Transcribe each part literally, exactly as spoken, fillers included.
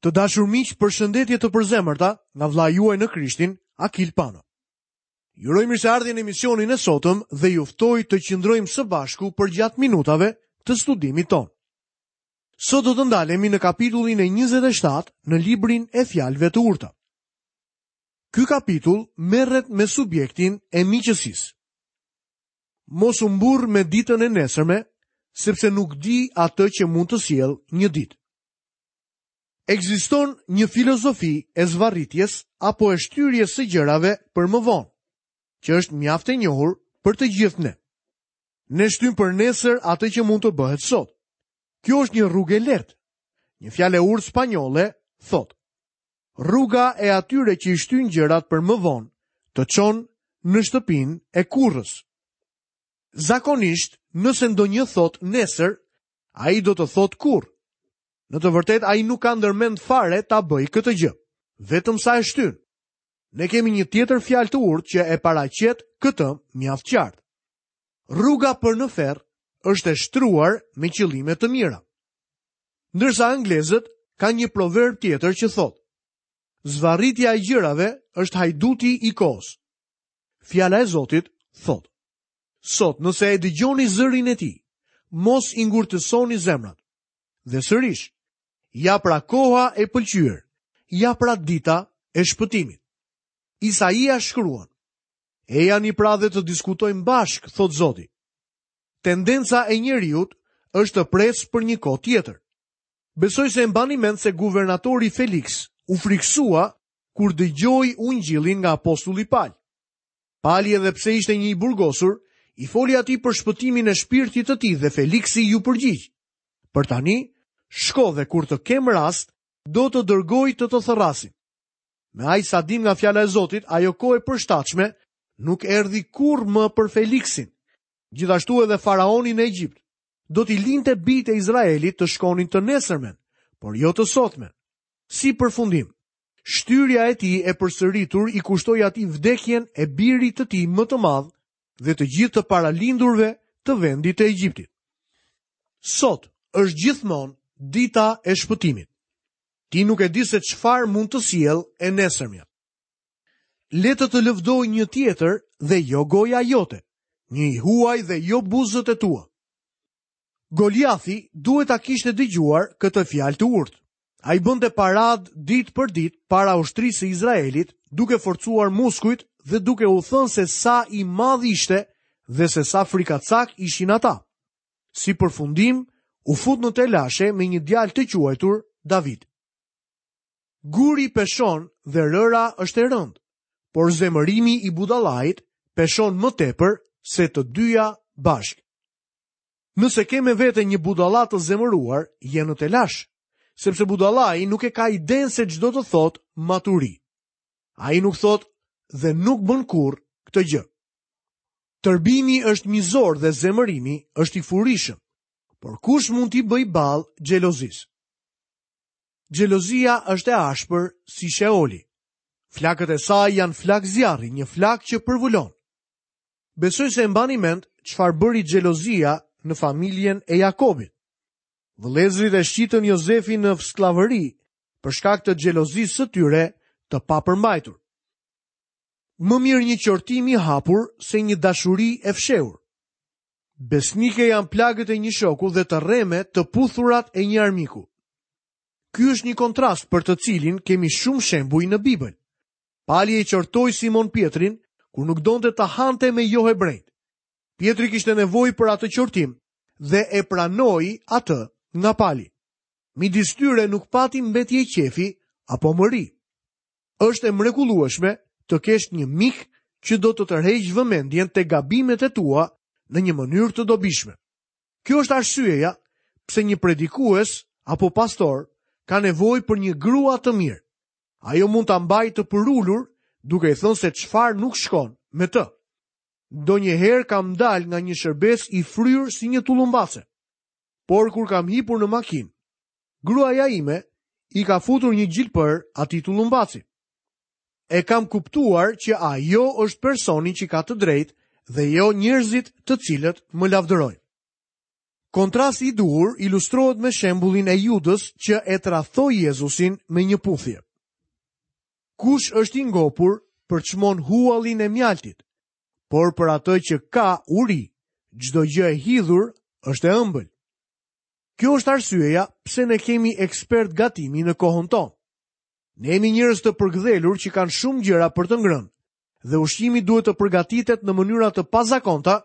Të dashur miq, përshëndetje të përzemërta nga vëllai juaj në Krishtin, Akil Pano. Ju uroj mirëseardhjen në emisionin e sotëm dhe ju ftoj të qëndrojmë së bashku përgjatë minutave të studimit tonë. Sot do të ndalemi në kapitullin e njëzet e shtatë në librin e fjalëve të urta. Ky kapitull merret me subjektin e miqësisë. Mos u mburr me ditën e nesërme, sepse nuk di atë që mund të sjellë një ditë. Ekziston një filozofi e zvarritjes apo e shtyrjes së gjërave për më vonë, që është mjaft e njohur për të gjithë ne. Ne shtym për nesër atë që mund të bëhet sot. Kjo është një rrugë e lehtë. Një fjalë e urtë spanjolle thotë: Rruga e atyre që i shtyn gjërat për më vonë, të çon në shtëpinë e kurrës. Zakonisht, nëse ndonjë thotë nesër, ai do të thotë kurrë. Në të vërtetë, ai nuk ka ndërmend fare ta bëjë këtë gjë, vetëm sa e shtyn. Ne kemi një tjetër fjalë të urtë që e paraqet këtë mjaft qartë. Rruga për në ferr është e shtruar me qëllime të mira. Ndërsa anglezët kanë një proverb tjetër që thotë: Zvarritja e gjërave është hajduti i kohës. Fjala e Zotit thotë: Sot, nëse e dëgjoni zërin e tij, mos i ngurtësoni zemrat. Dhe sërish, ja pra koha e pëlqyer, ja pra dita e shpëtimit. Isaia shkruan: Ejani pra dhe të diskutojmë bashkë, thot Zoti. Tendenca e njeriut është të presë për një kohë tjetër. Besoj se e mbani mend se guvernatori Felix u friksua kur dëgjoi ungjillin nga apostulli Pal. Pali, edhe pse ishte një i burgosur, i foli atij për shpëtimin e shpirtit të tij dhe Feliksi ju përgjigj: Për tani, shko dhe kur të kem rast, do të dërgoj të të thërrasin. Me aq sa dim nga fjala e Zotit, ajo kohë e përshtatshme nuk erdhi kurrë më për Feliksin. Gjithashtu edhe faraonin në Egjipt do t'i linte bijtë e Izraelit të shkonin të nesërmen, por jo të sotmen. Si përfundim, shtyrja e tij e përsëritur i kushtoi atij vdekjen e birit të tij më të madh dhe të gjithë të paralindurve të vendit të Egjiptit. Sot është gjithmonë dita e shpëtimit. Ti nuk e di se çfarë mund të sjellë e nesërmja. Le të të lëvdoj një tjetër dhe jo goja jote, një i huaj dhe jo buzët e tua. Goliathi duhet ta kishte dëgjuar këtë fjalë të urtë. Ai bënte parad ditë për ditë para ushtrisë së Izraelit, duke forcuar muskujt dhe duke u thënë se sa i madh ishte dhe se sa frikacak ishin ata. Si përfundim, u fut në telashe me një djalë të quajtur David. Guri peshon dhe rëra është e rëndë, por zemërimi i budallait peshon më tepër se të dyja bashkë. Nëse ke me vete një budalla të zemëruar, je në telash, sepse budallai nuk e ka idenë se ç'do të thotë maturi. Ai nuk thotë dhe nuk bën kurrë këtë gjë. Tërbimi është mizor dhe zemërimi është i furishëm, por kush mund t'i bëjë ballë xhelozisë? Xhelozia është e ashpër si Sheoli. Flakët e saj janë flak zjarri, një flak që përvulon. Besoj se e mbani mend çfarë bëri xhelozia në familjen e Jakobit. Vëllezërit e shqitën Jozefin në skllavëri për shkak të xhelozisë së tyre të papërmbajtur. Më mirë një qortim i hapur se një dashuri e fshehur. Besnike janë plagët e një shoku dhe të rreme të puthurat e një armiku. Ky është një kontrast për të cilin kemi shumë shembuj në Bibël. Pali e qortoi Simon Pietrin kur nuk donte ta hante me jo hebrejt. Pietri kishte nevojë për atë qortim dhe e pranoi atë nga Pali. Midis tyre nuk pati mbetje qefi apo mëri. Është e mrekullueshme të kesh një mik që do të tërheqë vëmendjen te gabimet e tua në një mënyrë të dobishme. Kjo është arsyeja pse një predikues apo pastor ka nevojë për një grua të mirë. Ajo mund ta mbajë të përulur duke i thënë se çfarë nuk shkon me të. Ndonjëherë kam dalë nga një shërbes i fryrë si një tullumbace. Por kur kam hipur në makinë, gruaja ime i ka futur një gjilpër atij tullumbaci. E kam kuptuar që ajo është personi që ka të drejtë dhe jo njerëzit të cilët më lavdërojnë. Kontrasti i duhur ilustrohet me shembullin e Judës që e tradhtoi Jezusin me një puthje. Kush është i ngopur përçmon huallin e mjaltit, por për atë që ka uri, çdo gjë e hidhur është e ëmbël. Kjo është arsyeja pse ne kemi ekspert gatimi në kohën tonë. Ne jemi njerëz të përgdhelur që kanë shumë gjëra për të ngrënë, dhe ushqimi duhet të përgatitet në mënyra të pazakonta,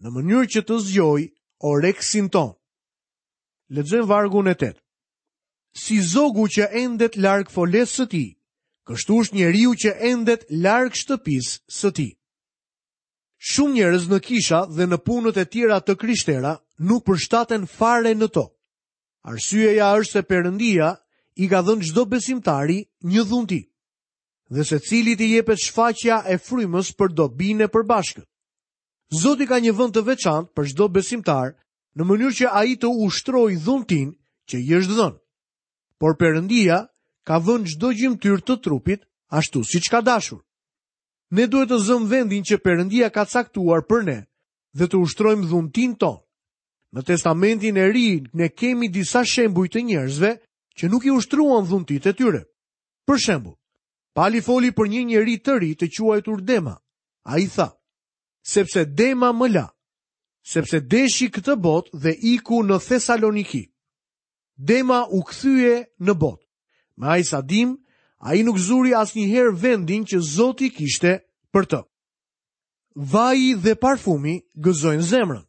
në mënyrë që të zgjojë oreksin tonë. Lexojmë vargun e tetë. Si zogu që endet larg folesë së tij, kështu është njeriu që endet larg shtëpisë së tij. Shumë njerëz në kisha dhe në punët e tjera të krishtera nuk përshtaten fare në to. Arsyeja është se Perëndia i ka dhënë çdo besimtari një dhunti, dhe secilit i jepet shfaqja e frymës për dobinë e përbashkët. Zoti ka një vend të veçantë për çdo besimtar, në mënyrë që ai të ushtrojë dhuntin që i është dhënë. Por Perëndia ka vënë çdo gjymtyrë të trupit ashtu siç ka dashur. Ne duhet të zëmë vendin që Perëndia ka caktuar për ne dhe të ushtrojmë dhuntin tonë. Në Testamentin e Ri ne kemi disa shembuj të njerëzve që nuk i ushtruan dhuntitë e tyre. Për shembull, Pali foli për një njeri të ri të quajtur Dema. Ai tha: "Sepse Dema më la, sepse deshi këtë botë dhe iku në Thesaloniki." Dema u kthye në botë. Me aq sa dim, ai nuk zuri asnjëherë vendin që Zoti kishte për të. Vaji dhe parfumi gëzojnë zemrën.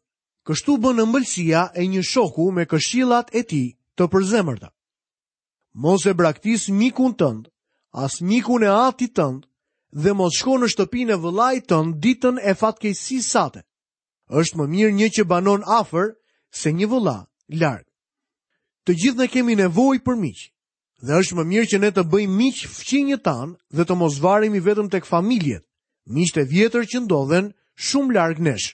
Kështu bën ëmbëlsia e një shoku me këshillat e tij të përzemërta. Mos e braktis mikun tënd, as mikun e atit tënd, dhe mos shko në shtëpinë e vëllait tënd ditën e fatkeqësisë sate. Është më mirë një që banon afër se një vëlla larg. Të gjithë ne kemi nevojë për miq, dhe është më mirë që ne të bëjmë miq fqinjët tanë dhe të mos varemi vetëm tek familjet, miqtë e vjetër që ndodhen shumë larg nesh.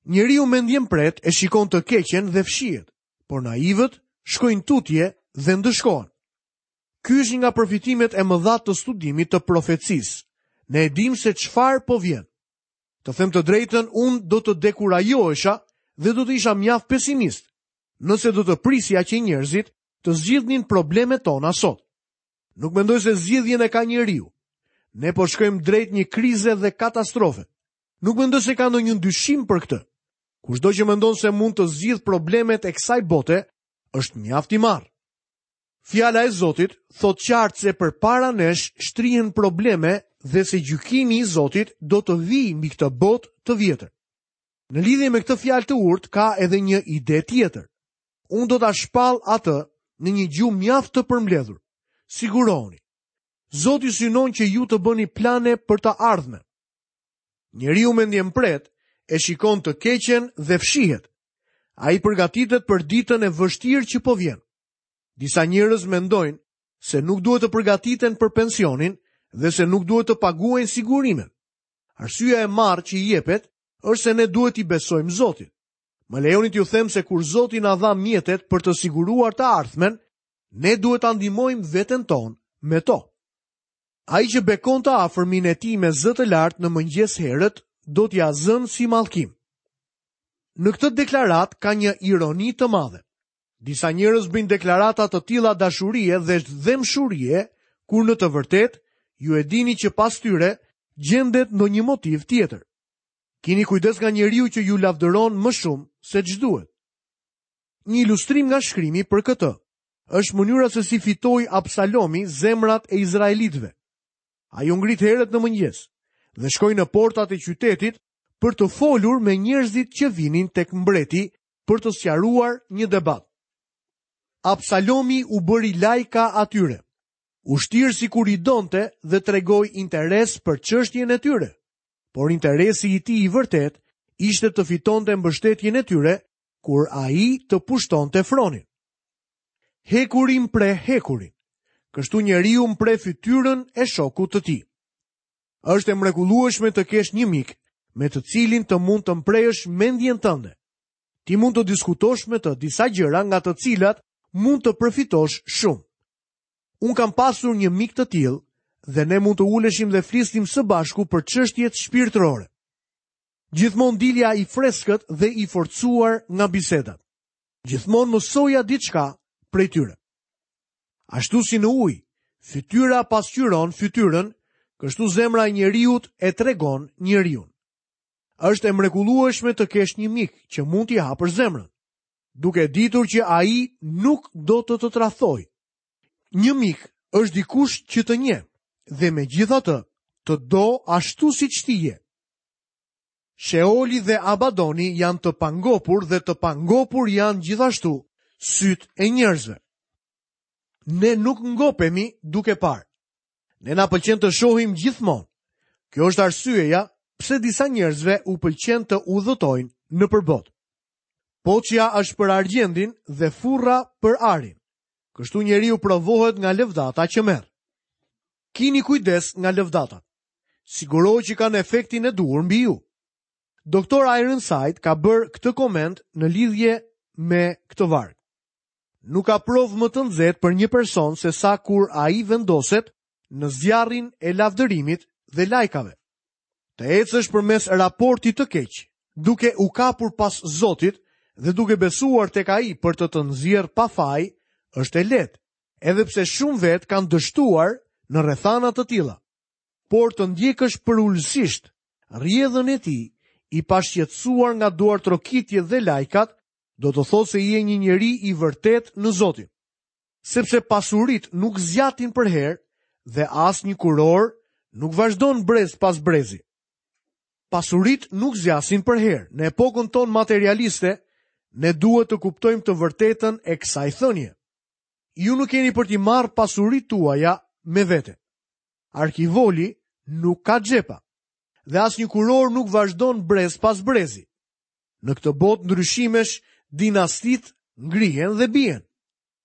Njeriu mendjempret e shikon të keqen dhe fshihet, por naivët shkojnë tutje dhe ndëshkohen. Ky është një nga përfitimet e mëdha të studimit të profecisë. Ne e dim se çfarë po vjen. Të them të drejtën, unë do të dekurajohesha dhe do të isha mjaft pesimist, nëse do të prisja që njerëzit të zgjidhnin problemet tona sot. Nuk mendoj se zgjidhjen e ka njeriu. Ne po shkojmë drejt një krize dhe katastrofe. Nuk mendoj se ka ndonjë dyshim për këtë. Kushdo që mendon se mund të zgjidh problemet e kësaj bote, është mjaft i marrë. Fjala e Zotit thotë qartë se përpara nesh shtrihen probleme dhe se gjykimi i Zotit do të vijë mbi këtë botë të vjetër. Në lidhje me këtë fjalë të urtë ka edhe një ide tjetër. Unë do ta shpall atë në një gjuhë mjaft të përmbledhur. Sigurohuni. Zoti synon që ju të bëni plane për të ardhmen. Njeriu mendjempret e shikon të keqen dhe fshihet. Ai përgatitet për ditën e vështirë që po vjen. Disa njerëz mendojnë se nuk duhet të përgatiten për pensionin dhe se nuk duhet të paguajnë sigurimet. Arsyeja e marrë që i jepet është se ne duhet t'i besojmë Zotit. Më lejoni t'ju them se kur Zoti na dha mjetet për të siguruar të ardhmen, ne duhet ta ndihmojmë veten tonë me to. Ai që bekon të afërmin e tij me zë të lartë në mëngjes herët, do t'ia zënë si mallkim. Në këtë deklaratë ka një ironi të madhe. Disa njerëz bëjnë deklarata të tilla dashurie dhe dhembshurie, kur në të vërtetë ju e dini që pas tyre gjendet ndonjë motiv tjetër. Kini kujdes nga njeriu që ju lavdëron më shumë se ç'duhet. Një ilustrim nga shkrimi për këtë është mënyra se si fitoi Absalomi zemrat e izraelitëve. Ai u ngrit herët në mëngjes dhe shkoi në portat e qytetit për të folur me njerëzit që vinin tek mbreti për të sqaruar një debat. Absalomi u bëri lajka atyre. U shtir sikur i donte dhe tregoi interes për çështjen e tyre. Por interesi i tij i vërtet ishte të fitonte mbështetjen e tyre kur ai të pushtonte fronin. Hekuri mpreh hekurin. Kështu njeriu mpreh fytyrën e shokut të tij. Është e mrekullueshme të kesh një mik me të cilin të mund të mprehësh mendjen tënde. Ti mund të diskutosh me të disa gjëra nga të cilat mund të përfitosh shumë. Unë kam pasur një mik të tillë dhe ne mund të uleshim dhe flisnim së bashku për çështjet shpirtërore. Gjithmonë dilja i freskët dhe i forcuar nga bisedat. Gjithmonë mësoja diçka prej tyre. Ashtu si në ujë, fytyra pasqyron fytyrën, kështu zemra e njeriut e tregon njeriun. Është e mrekullueshme të kesh një mik që mund t'i hapësh zemrën, duke ditur që ai nuk do të të tradhtojë. Një mik është dikush që të njeh dhe megjithatë të do ashtu siç ti je. Sheoli dhe Abadoni janë të pangopur dhe të pangopur janë gjithashtu sytë e njerëzve. Ne nuk ngopemi duke parë. Ne na pëlqen të shohim gjithmonë. Kjo është arsyeja pse disa njerëzve u pëlqen të udhëtojnë nëpër botë. Poçja është për argjendin dhe furra për arin. Kështu njeriu provohet nga lëvdata që merr. Kini kujdes nga lëvdatat. Sigurohu që kanë efektin e duhur mbi ju. Doktor Ironside ka bërë këtë koment në lidhje me këtë varg. Nuk ka provë më të nxehtë për një person se sa kur ai vendoset në zjarrin e lavdërimit dhe lajkave. Të ecësh përmes raportit të keq, duke u kapur pas Zotit dhe duke besuar tek ai për të të nxjerrë pa faj, është e lehtë, edhe pse shumë vetë kanë dështuar në rrethana të tilla. Por të ndjekësh përulësisht rrjedhën e tij, i pashqetësuar nga duartrokitjet dhe lajkat, do të thotë se je një njeri i vërtet në Zotin. Sepse pasurit nuk zgjatin përherë dhe asnjë kuror nuk vazhdon brez pas brezi. Pasurit nuk zgjasin përherë. Në epokën tonë materialiste, ne duhet të kuptojmë të vërtetën e kësaj thënie. Ju nuk keni për t'i marrë pasurit tuaja me vete. Arkivoli nuk ka xhepa dhe asnjë kuror nuk vazhdon brez pas brezi. Në këtë botë ndryshimesh, dinastit ngrihen dhe bien.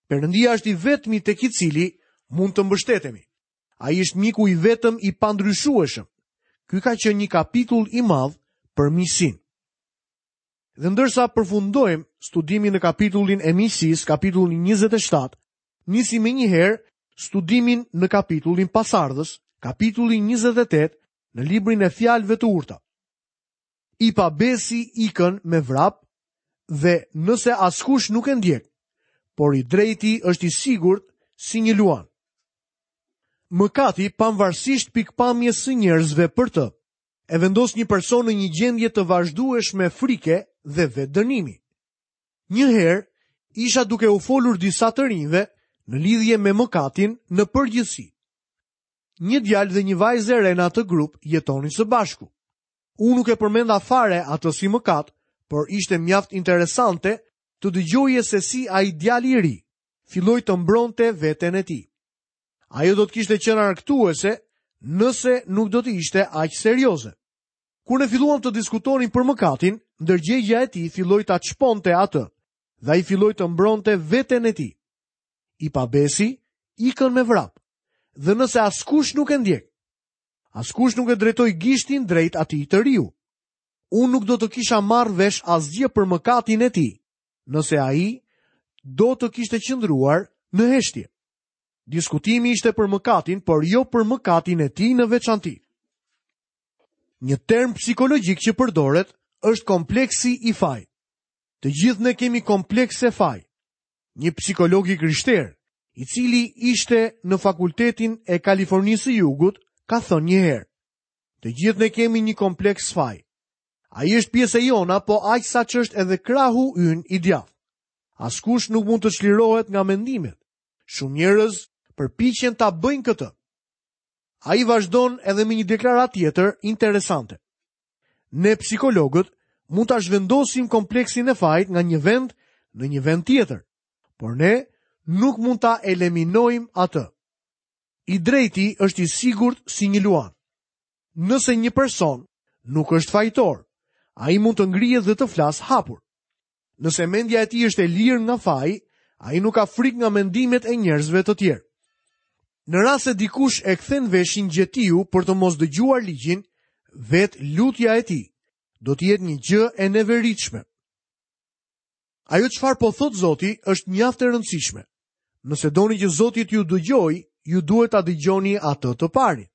Perëndia është i vetmi tek i cili mund të mbështetemi. Ai është miku i vetëm i pandryshueshëm. Ky ka qenë një kapitull i madh për miqësinë. Dhe ndërsa përfundojmë studimin në kapitullin e miqësisë, kapitullin njëzet e shtatë, nisim menjëherë studimin në kapitullin pasardhës, kapitullin njëzet e tetë, në librin e fjalëve të urta. I pabesi ikën me vrap dhe nëse askush nuk e ndjek, por i drejti është i sigurt si një luan. Mëkati, pavarësisht pikpamjes së njerëzve për të, e vendos një person në një gjendje të vazhdueshme frike dhe vetdënimi. Një herë isha duke u folur disa të rinjve në lidhje me mëkatin në përgjithësi. Një djalë dhe një vajzë e re në atë grup jetonin së bashku. Unë nuk e përmenda fare atë si mëkat, por ishte mjaft interesante të dëgjoje se si ai djali i ri filloi të mbronte veten e tij. Ajo do të kishte qenë argëtuese nëse nuk do të ishte aq serioze. Kur ne filluam të diskutonim për mëkatin, ndërgjegja e tij filloi ta çponte atë dhe ai filloi të mbronte veten e tij. I pabesi ikën me vrap. Dhe nëse askush nuk e ndjek, askush nuk e drejtoi gishtin drejt atij të riu. Unë nuk do të kisha marrë vesh asgjë për mëkatin e tij, nëse ai do të kishte qëndruar në heshtje. Diskutimi ishte për mëkatin, por jo për mëkatin e tij në veçanti. Një term psikologjik që përdoret është kompleksi i fajit. Të gjithë ne kemi komplekse faj. Një psikolog i krishterë, i cili ishte në fakultetin e Kalifornisë së Jugut, ka thënë një herë: Të gjithë ne kemi një kompleks faj. Ai është pjesë e jona, po aq sa që është edhe krahu ynë i djathtë. Askush nuk mund të çlirohet nga mendimet. Shumë njerëz përpiqen ta bëjnë këtë. Ai vazhdon edhe me një deklaratë tjetër interesante. Ne psikologët mund ta zhvendosim kompleksin e fajit nga një vend në një vend tjetër, por ne nuk mund ta eliminojmë atë. I drejti është i sigurt si një luan. Nëse një person nuk është fajtor, ai mund të ngrihet dhe të flasë hapur. Nëse mendja e tij është e lirë nga faji, ai nuk ka frikë nga mendimet e njerëzve të tjerë. Në rast se dikush e kthen veshin gjetiu për të mos dëgjuar ligjin, vetë lutja e tij do të jetë një gjë e neveritshme. Ajo çfarë po thot Zoti është mjaft e rëndësishme. Nëse doni që Zoti t'ju dëgjojë, ju duhet ta dëgjoni atë të parin.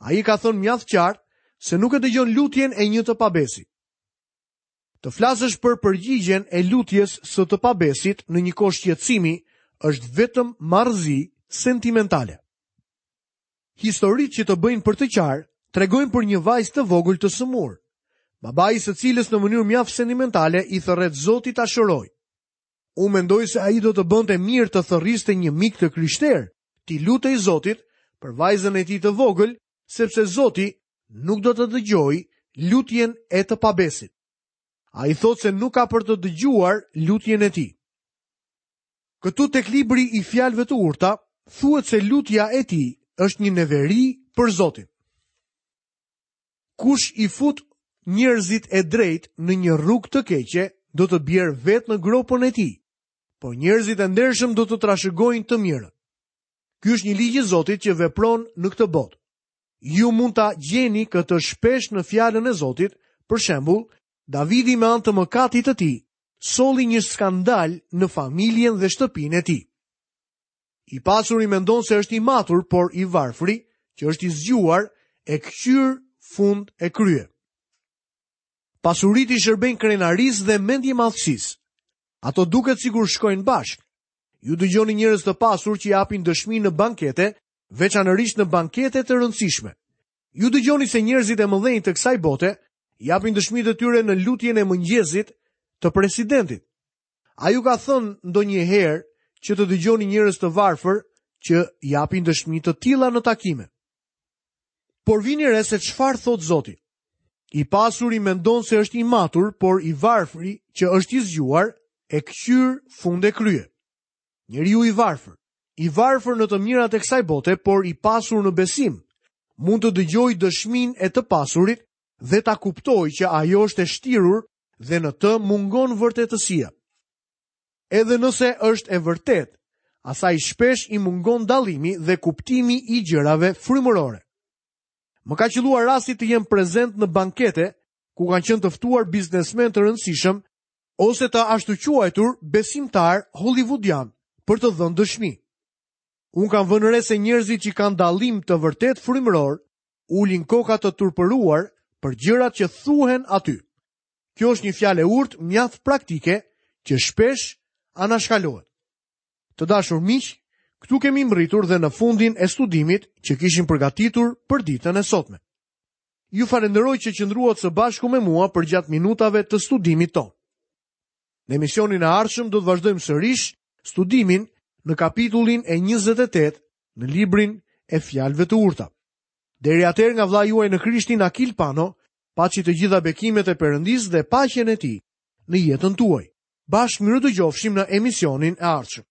Ai ka thënë mjaft qartë se nuk e dëgjon lutjen e një të pabesi. Të flasësh për përgjigjen e lutjes së të pabesit në një kohë shqetësimi është vetëm marrëzi sentimentale. Historitë që të bëjnë për të qarë tregojnë për një vajzë të vogël të sëmurë, babai i së cilës në mënyrë mjaft sentimentale i thërret Zotit ta shërojë. Unë mendoj se ai do të bënte mirë të thërriste një mik të krishterë, t'i lutej Zotit për vajzën e tij të vogël, sepse Zoti nuk do të dëgjojë lutjen e të pabesit. Ai thotë se nuk ka për të dëgjuar lutjen e tij. Këtu tek libri i fjalëve të urta thuhet se lutja e tij është një neveri për Zotin. Kush i fut njerëzit e drejtë në një rrugë të keqe, do të bjerë vetë në gropën e tij, por njerëzit e ndershëm do të trashëgojnë të mirën. Ky është një ligj i Zotit që vepron në këtë botë. Ju mund ta gjeni këtë shpesh në fjalën e Zotit, për shembull, Davidi me anë të mëkatit të tij solli një skandal në familjen dhe shtëpinë e tij. I pasuri mendon se është i matur, por i varfri, që është i zgjuar, e kqyr fund e krye. Pasuritë i shërbejnë krenarisë dhe mendjemadhësisë. Ato duket sikur shkojnë bashkë. Ju dëgjoni njerëz të pasur që japin dëshmi në bankete, veçanërisht në bankete të rëndësishme. Ju dëgjoni se njerëzit e mëdhenj të kësaj bote japin dëshmitë e tyre në lutjen e mëngjesit të presidentit. A ju ka thënë ndonjëherë që të dëgjoni njerëz të varfër që japin dëshmi të tilla në takime? Por vini re se çfarë thotë Zoti. I pasuri mendon se është i matur, por i varfri që është i zgjuar e kqyr fund e krye. Njeriu i varfër, i varfër në të mirat e kësaj bote, por i pasur në besim, mund të dëgjojë dëshminë e të pasurit dhe ta kuptojë që ajo është e shtirur dhe në të mungon vërtetësia. Edhe nëse është e vërtetë, asaj shpesh i mungon dallimi dhe kuptimi i gjërave frymërore. Më ka qelluar rasti të jem prezent në bankete ku kanë qenë të ftuar biznesmen të rëndësishëm ose të ashtuquajtur besimtar hollywoodian për të dhënë dëshmi. Unë kam vënë re se njerëzit që kanë dallim të vërtet frymëror ulin koka të turpëruar për gjërat që thuhen aty. Kjo është një fjalë e urtë mjaft praktike që shpesh anashkalohet. Të dashur miq, këtu kemi mbërritur dhe në fundin e studimit që kishim përgatitur për ditën e sotme. Ju falenderoj që qëndruat së bashku me mua përgjatë minutave të studimit tonë. Në emisionin e ardhshëm do të vazhdojmë sërish studimin në kapitullin e njëzet e tetë në librin e fjalëve të urta. Deri atëherë nga vëllai juaj në Krishtin Akil Pano, paçi të gjitha bekimet e Perëndisë dhe paqen e tij në jetën tuaj. Bashkë mirë dëgjofshim në emisionin e ardhshëm.